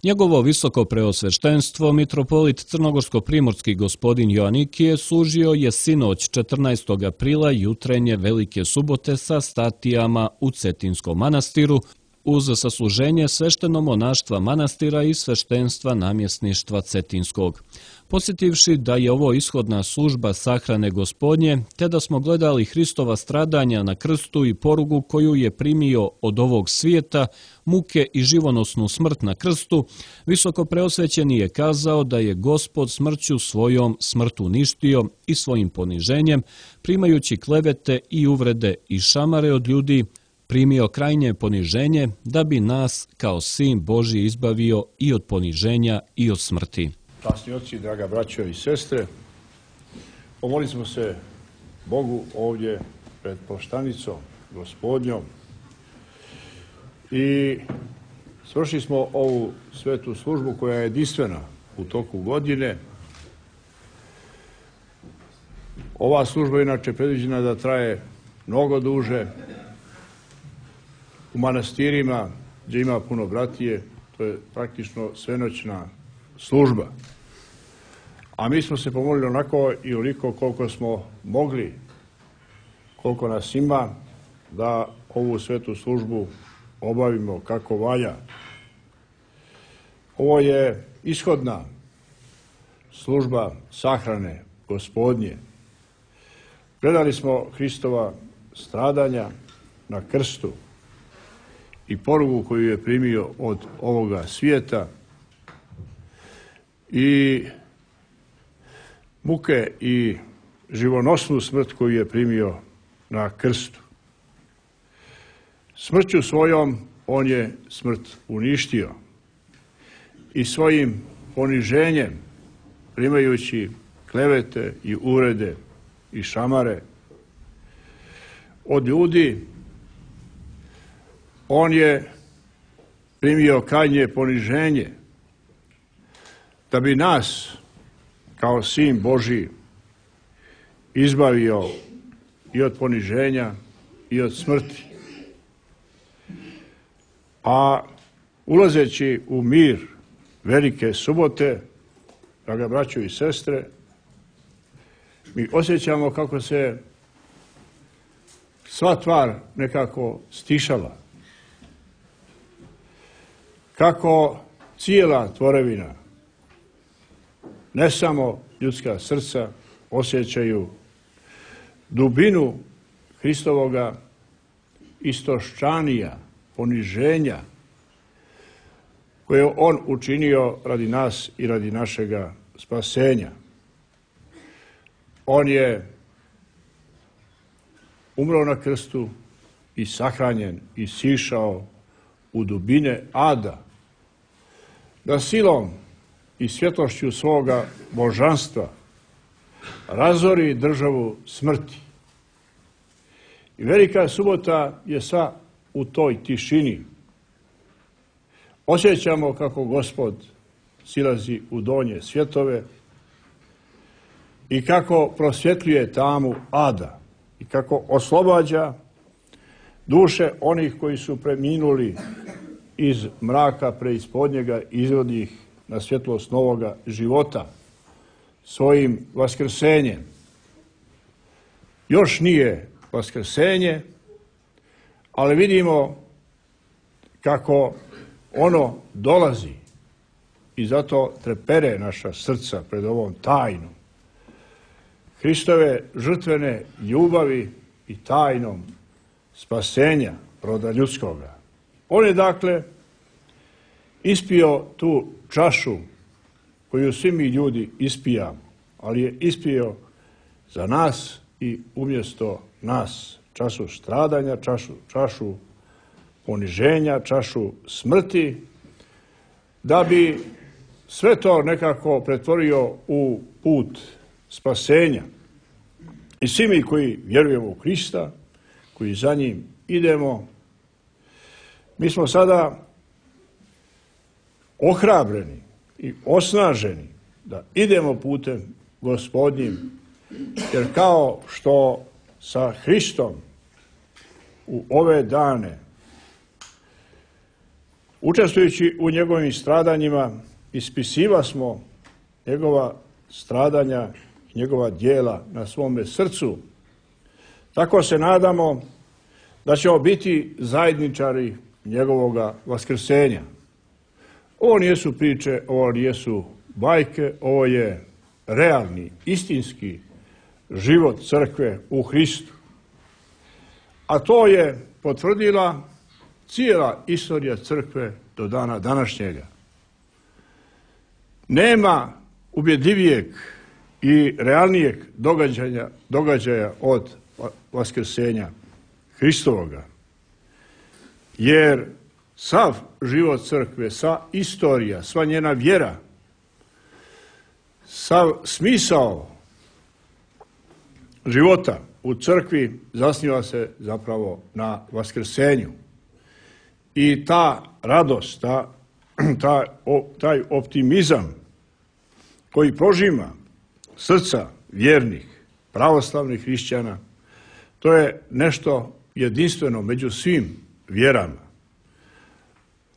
Njegovo visoko preosveštenstvo, mitropolit crnogorsko-primorski gospodin Joanikije, služio je sinoć 14. aprila jutrenje Velike subote sa statijama u Cetinskom manastiru, uz sasluženje svešteno-monaštva manastira i sveštenstva namjesništva Cetinskog. Posjetivši da je ovo ishodna služba sahrane Gospodnje, te da smo gledali Hristova stradanja na krstu i porugu koju je primio od ovog svijeta, muke i živonosnu smrt na krstu, visoko preosvećeni je kazao da je Gospod smrću svojom smrt uništio i svojim poniženjem, primajući klevete i uvrede i šamare od ljudi, primio krajnje poniženje da bi nas kao sin Božji izbavio i od poniženja i od smrti. Časni oci, draga braćo i sestre, pomolili smo se Bogu ovdje pred poštanicom Gospodnjom i svršili smo ovu svetu službu koja je jedinstvena u toku godine. Ova služba je inače predviđena da traje mnogo duže. U manastirima gdje ima puno bratije, to je praktično svenoćna služba. A mi smo se pomolili onako i oliko koliko smo mogli, koliko nas ima, da ovu svetu službu obavimo kako valja. Ovo je ishodna služba sahrane Gospodnje. Gledali smo Hristova stradanja na krstu i porugu koju je primio od ovoga svijeta i muke i živonosnu smrt koju je primio na krstu. Smrću svojom on je smrt uništio i svojim poniženjem, primajući klevete i uvrede i šamare od ljudi, on je primio krajnje poniženje da bi nas kao sin Božji izbavio i od poniženja i od smrti. A ulazeći u mir Velike subote, draga braćo i sestre, mi osjećamo kako se sva tvar nekako stišala. Kako cijela tvorevina, ne samo ljudska srca, osjećaju dubinu Hristovoga istoščanija, poniženja koje je on učinio radi nas i radi našega spasenja. On je umro na krstu i sahranjen i sišao u dubine ada, da silom i svjetlošću svoga božanstva razori državu smrti. I Velika subota je sva u toj tišini. Osjećamo kako Gospod silazi u donje svjetove i kako prosvjetljuje tamu ada i kako oslobađa duše onih koji su preminuli iz mraka preispodnjega, izvodi ih na svjetlost novoga života svojim vaskrsenjem. Još nije vaskrsenje, ali vidimo kako ono dolazi i zato trepere naša srca pred ovom tajnom Hristove žrtvene ljubavi i tajnom spasenja roda ljudskoga. On je dakle ispio tu čašu koju svi mi ljudi ispijamo, ali je ispio za nas i umjesto nas čašu stradanja, čašu poniženja, čašu smrti, da bi sve to nekako pretvorio u put spasenja. I svi mi koji vjerujemo u Hrista, koji za njim idemo, mi smo sada ohrabreni i osnaženi da idemo putem Gospodnjim, jer kao što sa Hristom u ove dane Učestvujući u njegovim stradanjima, ispisiva smo njegova stradanja, njegova djela na svome srcu. Tako se nadamo da ćemo biti zajedničari njegovoga vaskrsenja. Ovo nisu priče, ovo nisu bajke, ovo je realni, istinski život crkve u Hristu. A to je potvrdila cijela istorija crkve do dana današnjega. Nema ubjedljivijeg i realnijeg događaja od vaskrsenja Hristovoga. Jer sav život crkve, sva istorija, sva njena vjera, sav smisao života u crkvi zasniva se zapravo na vaskrsenju. I ta radost, taj optimizam koji prožima srca vjernih, pravoslavnih hrišćana, to je nešto jedinstveno među svim vjerama.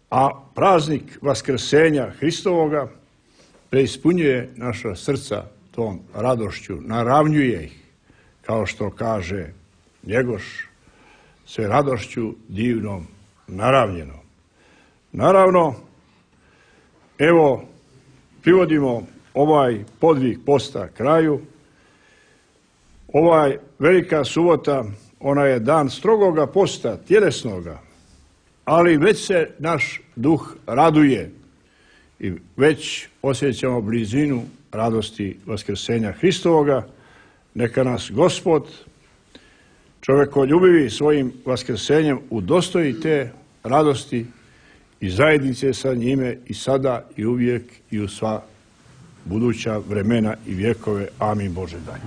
A praznik vaskrsenja Hristovoga preispunjuje naša srca tom radošću, naravnjuje ih, kao što kaže Njegoš, sve radošću divnom naravnjenom. Naravno, evo, privodimo ovaj podvig posta kraju. Ovaj velika subota, ona je dan strogoga posta, tjelesnoga, ali već se naš duh raduje i već osjećamo blizinu radosti vaskrsenja Hristovoga. Neka nas Gospod, čovjekoljubivi, svojim vaskrsenjem udostoji te radosti i zajednice sa njime i sada i uvijek i u sva buduća vremena i vjekove. Amin Bože daj.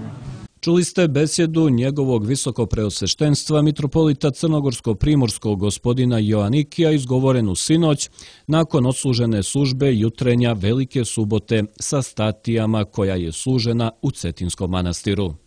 Čuli ste besjedu njegovog visokopreosveštenstva mitropolita crnogorsko-primorskog gospodina Joanikija izgovorenu sinoć nakon odslužene službe jutrenja Velike subote sa statijama koja je služena u Cetinskom manastiru.